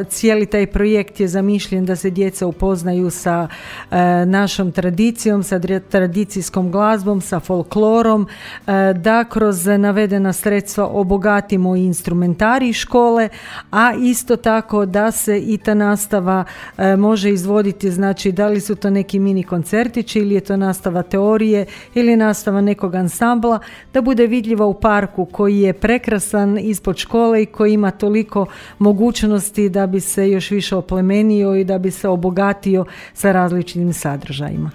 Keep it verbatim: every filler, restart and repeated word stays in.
Cijeli taj projekt je zamišljen da se djeca upoznaju sa e, našom tradicijom, sa tradicijskom glazbom, sa folklorom, e, da kroz navedena sredstva obogatimo instrumentarij škole, a isto tako da se i ta nastava e, može izvoditi, znači da li su to neki mini koncertići ili je to nastava teorije ili nastava nekog ansambla, da bude vidljiva u parku koji je prekrasan ispod škole i koji ima toliko mogućnosti da bi se još više oplemenio i da bi se obogatio sa različitim sadržajima.